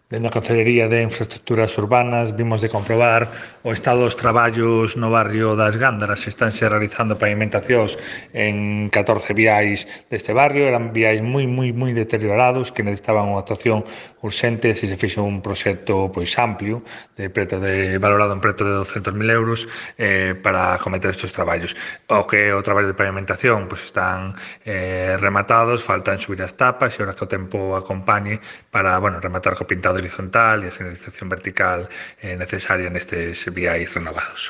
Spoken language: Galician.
Dende a Concellería de Infraestructuras Urbanas vimos de comprobar o estado dos traballos no barrio das Gándaras. Estánse realizando pavimentacións en 14 viais deste barrio. Eran viais moi deteriorados que necesitaban unha actuación urxente. Se fixo un proxecto pois amplio, valorado en preto de 200.000 euros para acometer estes traballos. O traballo de pavimentación pois están rematados, faltan subir as tapas e ora que o tempo acompañe para rematar co pintado horizontal e a señalización vertical necesaria nestes viais renovados.